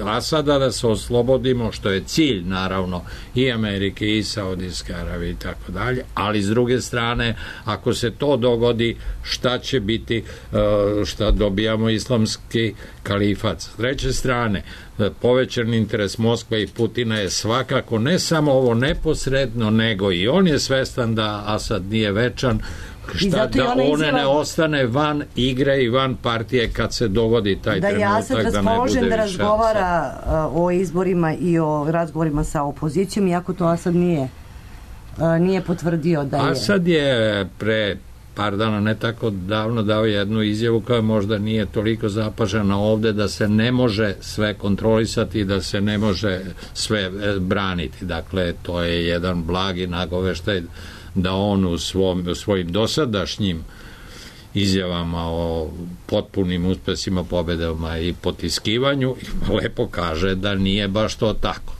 Asada da se oslobodimo, što je cilj naravno i Amerike i Saudijske Arabije i tako dalje, ali s druge strane ako se to dogodi, šta će biti, šta dobijamo islamski kalifat. S treće strane, povećan interes Moskve i Putina je svakako ne samo ovo neposredno, nego i on je svestan da Asad nije večan, da one ne ostane van igre i van partije kad se dogodi taj trenutak, da je Asad raspoložen da razgovara o izborima i o razgovorima sa opozicijom, iako to Asad nije potvrdio da je. Asad je pre par dana, ne tako davno, dao jednu izjavu koja možda nije toliko zapažena ovde, da se ne može sve kontrolisati i da se ne može sve braniti. Dakle, to je jedan blagi nagoveštaj da on u svojim dosadašnjim izjavama o potpunim uspesima, pobedama i potiskivanju lepo kaže da nije baš to tako.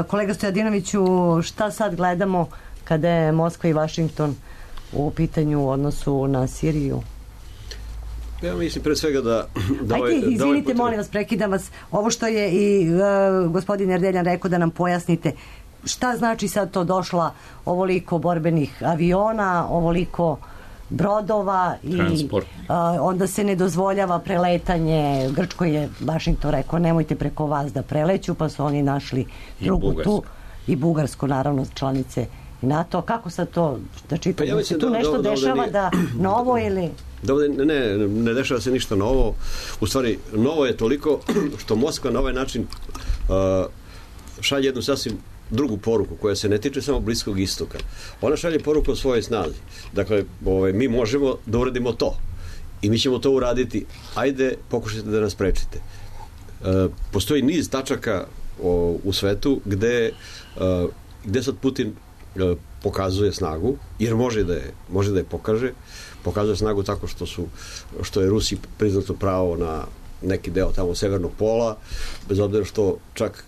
Kolega Stojadinoviću, šta sad gledamo kada je Moskva i Vašington u pitanju u odnosu na Siriju? Ja mislim pre svega da izvinite, molim vas, prekidam vas. Ovo što je i gospodin Erdeljan rekao, da nam pojasnite šta znači sad to došla ovoliko borbenih aviona, ovoliko brodova i onda se ne dozvoljava preletanje. Grčkoj je Vašington rekao nemojte preko vas da preleću, pa su oni našli drugu tu i Bugarsku, naravno članice i NATO. Kako sad to da čitam? Pa ja se tu nešto dešava da novo ili... Ne dešava se ništa novo. U stvari, novo je toliko što Moskva na ovaj način šalje jednu sasvim drugu poruku koja se ne tiče samo Bliskog istoka. Ona šalje poruku o svojoj snazi. Dakle, mi možemo da uradimo to i mi ćemo to uraditi. Ajde, pokušajte da nas sprečite. Postoji niz tačaka u svetu gde sad Putin pokazuje snagu, jer može da je pokaže. Pokazuje snagu tako što je Rusiji priznato pravo neki deo tamo severnog pola, bez obzira što čak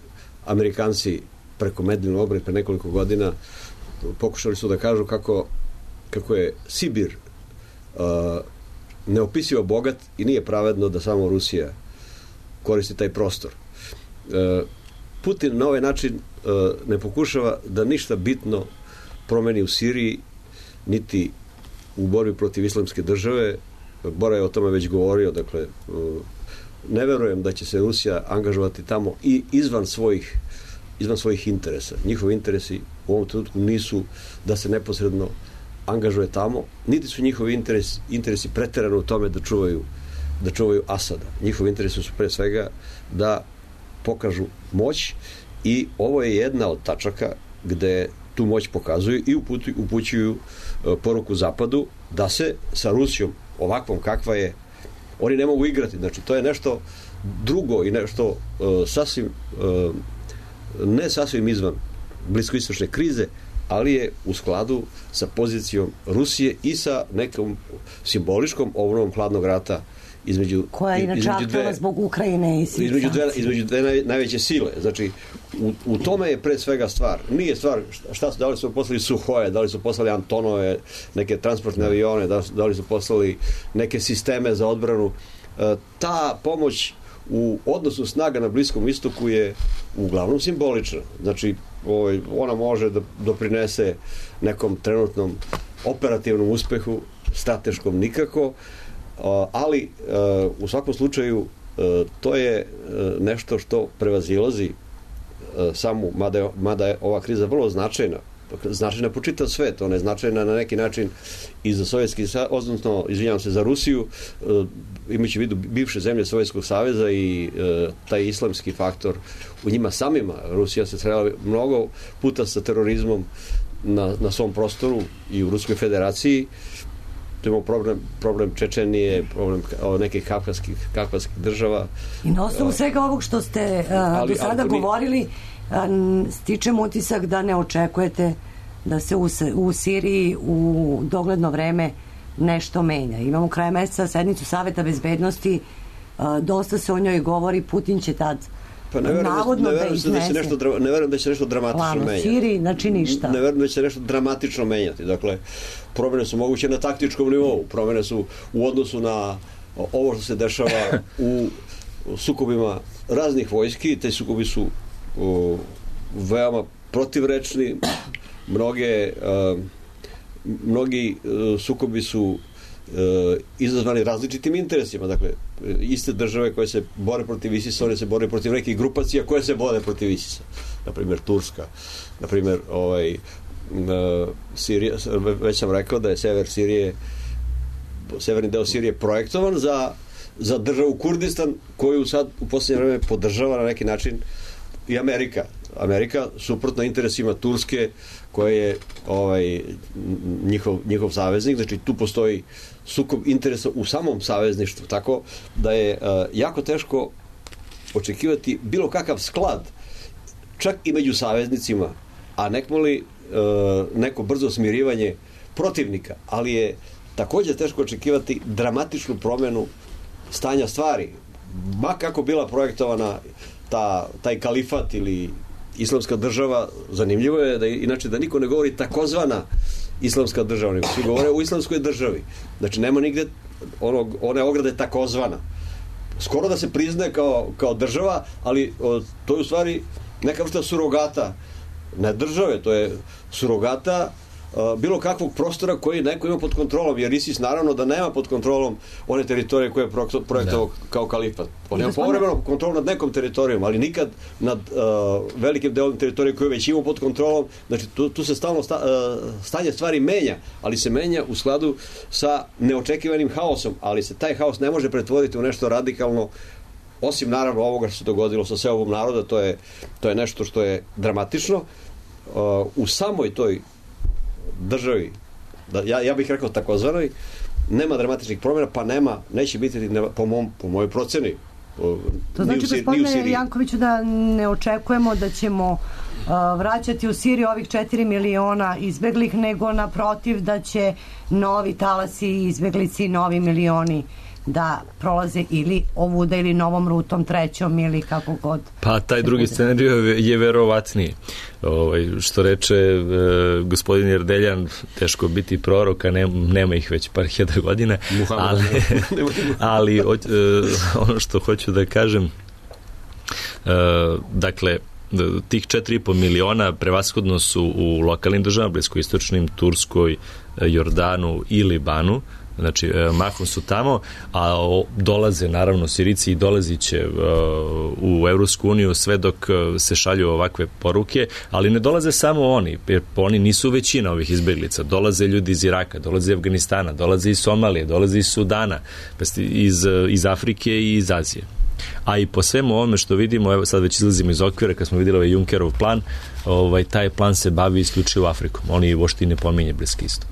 Amerikanci preko Medlin obrad pre nekoliko godina pokušali su da kažu kako je Sibir neopisivo bogat i nije pravedno da samo Rusija koristi taj prostor. Putin na ovaj način ne pokušava da ništa bitno promeni u Siriji, niti u borbi protiv islamske države. Bora je o tome već govorio, dakle, ne verujem da će se Rusija angažovati tamo i izvan svojih interesa. Njihovi interesi u ovom trenutku nisu da se neposredno angažuje tamo, niti su njihovi interesi preterano u tome da čuvaju Asada. Njihovi interesi su pre svega da pokažu moć i ovo je jedna od tačaka gde tu moć pokazuju i upućuju poruku Zapadu da se sa Rusijom ovakvom kakva je oni ne mogu igrati. Znači, to je nešto drugo i nešto ne sasvim izvan bliskoistočne krize, ali je u skladu sa pozicijom Rusije i sa nekom simboličkom obnovom hladnog rata koja je inače aktualna zbog Ukrajine i svih između dve najveće sile. Znači, u tome je pre svega stvar. Nije stvar da li su poslali Suhoje, da li su poslali Antonove, neke transportne avione, da li su poslali neke sisteme za odbranu. Ta pomoć u odnosu snaga na Bliskom istoku je uglavnom simbolična. Znači, ona može da doprinese nekom trenutnom operativnom uspehu, strateškom nikako, ali u svakom slučaju to je nešto što prevazilazi samu, mada je ova kriza vrlo značajna po čitav svet, ona je značajna na neki način i za Sovjetski, odnosno, izvinjavam se, za Rusiju, imajući u vidu bivše zemlje Sovjetskog saveza i taj islamski faktor u njima samima. Rusija se srela mnogo puta sa terorizmom na svom prostoru i u Ruskoj federaciji. Imamo problem Čečenije, problem nekih kavkaskih država. I na osnovu svega ovog što ste do sada govorili, stičem utisak da ne očekujete da se u Siriji u dogledno vreme nešto menja. Imamo kraj meseca sednicu Saveta bezbednosti, dosta se o njoj govori, Putin će tad navodno da iznese. Ne verujem da će nešto dramatično menjati. Siriji, znači ništa. Ne verujem da će nešto dramatično menjati. Dakle, promene su moguće na taktičkom nivou. Promene su u odnosu na ovo što se dešava u sukobima raznih vojski. Te sukobi su veoma protivrečni. Mnogi sukobi su izazvani različitim interesima. Dakle, iste države koje se bore protiv ISIS-a, one se bore protiv nekih grupacija koje se bore protiv ISIS-a. Naprimjer, Turska. Naprimjer, Sirija, već sam rekao da je severni deo Sirije projektovan za državu Kurdistan, koju sad u posljednje vreme podržava na neki način i Amerika. Amerika, suprotno interesima Turske, koje je njihov saveznik. Znači, tu postoji sukob interesa u samom savezništvu, tako da je jako teško očekivati bilo kakav sklad, čak i među saveznicima, a nekmoli neko brzo smirivanje protivnika, ali je također teško očekivati dramatičnu promjenu stanja stvari. Ma kako bila projektovana taj kalifat ili islamska država, zanimljivo je da inače da niko ne govori takozvana islamska država, nego svi govore o islamskoj državi. Znači, nema nigde one ograde takozvana. Skoro da se priznaje kao država, ali to je u stvari neka vrsta surogata, ne države, to je surogata bilo kakvog prostora koji neko ima pod kontrolom, jer ISIS naravno da nema pod kontrolom one teritorije koje je projektovao kao kalifat. On ima povremeno kontrolu nad nekom teritorijom, ali nikad nad velikim delom teritorije koje već ima pod kontrolom. Znači, tu se stalno stanje stvari menja, ali se menja u skladu sa neočekivanim haosom, ali se taj haos ne može pretvoriti u nešto radikalno, osim naravno ovoga što se dogodilo sa seobom naroda. To je nešto što je dramatično. U samoj toj državi, ja bih rekao takozvanoj, nema dramatičnih promjena, pa neće biti po mojoj proceni. To znači, gospodine Jankoviću, da ne očekujemo da ćemo vraćati u Siriju ovih 4 miliona izbeglih, nego naprotiv da će novi talasi izbeglici, novi milioni da prolaze ili ovuda ili novom rutom, trećom ili kako god. Pa taj drugi scenarij je verovatniji. Što reče gospodin Erdeljan, teško biti proroka, nema ih već par hiljada godina, ali ono što hoću da kažem, dakle, tih 4,5 miliona prevashodno su u lokalnim državama, bliskoistočnim, Turskoj, Jordanu i Libanu, znači mahom su tamo, a dolaze naravno Sirici i dolazit će u Evropsku uniju sve dok se šalju ovakve poruke, ali ne dolaze samo oni, jer oni nisu većina ovih izbeglica, dolaze ljudi iz Iraka, dolaze iz Afganistana, dolaze iz Somalije, dolaze iz Sudana, iz Afrike i iz Azije. A i po svemu ovome što vidimo, evo sad već izlazimo iz okvira, kad smo vidjeli ovaj Junckerov plan, taj plan se bavi isključivo Afrikom, oni uopšte ne pominje Bliski istok.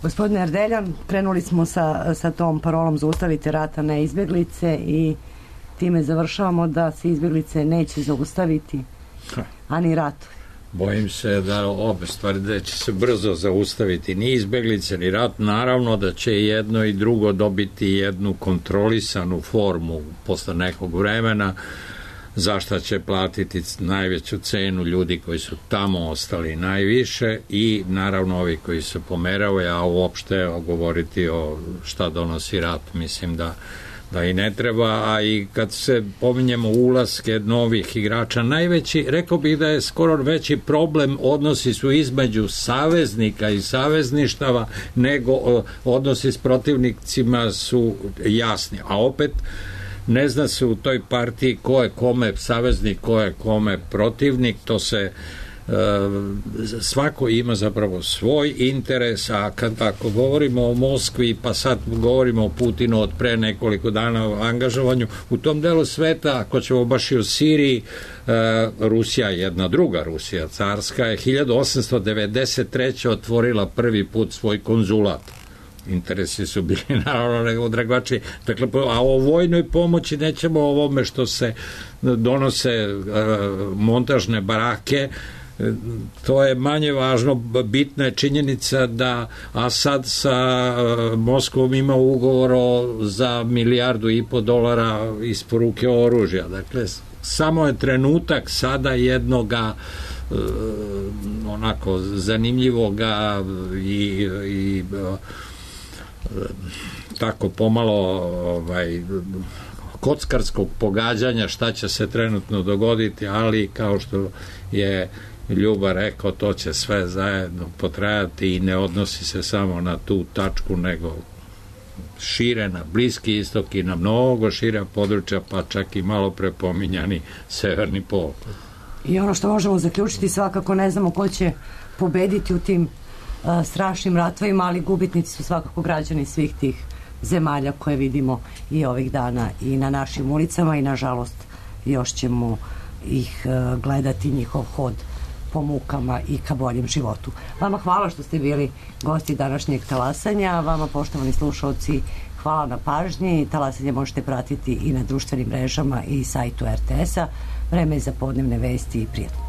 Gospodine Erdeljan, krenuli smo sa tom parolom zaustavite rata na izbjeglice i time završavamo da se izbjeglice neće zaustaviti, a ni ratovi. Bojim se da obe stvari da će se brzo zaustaviti, ni izbjeglice ni rat, naravno da će jedno i drugo dobiti jednu kontrolisanu formu posle nekog vremena, zašto će platiti najveću cenu ljudi koji su tamo ostali najviše i naravno ovi koji se pomeravaju, a uopšte govoriti o šta donosi rat, mislim da i ne treba, a i kad se pominjemo ulaske novih igrača, najveći, rekao bih da je skoro veći problem odnosi su između saveznika i savezništava nego odnosi s protivnicima su jasni, a opet ne zna se u toj partiji ko je kome saveznik, ko je kome protivnik, to se svako ima zapravo svoj interes, a ako govorimo o Moskvi, pa sad govorimo o Putinu od pre nekoliko dana o angažovanju, u tom delu sveta, ako ćemo baš i o Siriji, Rusija, jedna druga Rusija, carska, je 1893. otvorila prvi put svoj konzulat. Interesi su bili naravno odragvači. Dakle, a o vojnoj pomoći nećemo o ovome što se donose montažne barake, to je manje važno. Bitna je činjenica da Asad sa Moskvom ima ugovor za $1,5 milijardu isporuke oružja. Dakle, samo je trenutak sada jednoga onako zanimljivoga i tako pomalo kockarskog pogađanja šta će se trenutno dogoditi, ali kao što je Ljuba rekao, to će sve zajedno potrajati i ne odnosi se samo na tu tačku, nego šire na Bliski istok i na mnogo šira područja, pa čak i malo prepominjani Severni pol. I ono što možemo zaključiti, svakako ne znamo ko će pobediti u tim strašnim ratovima, ali gubitnici su svakako građani svih tih zemalja koje vidimo i ovih dana i na našim ulicama i nažalost još ćemo ih gledati, njihov hod po mukama i ka boljem životu. Vama hvala što ste bili gosti današnjeg talasanja, vama poštovani slušalci hvala na pažnji. Talasanje možete pratiti i na društvenim mrežama i sajtu RTS-a. Vreme je za podnevne vesti i prijatno.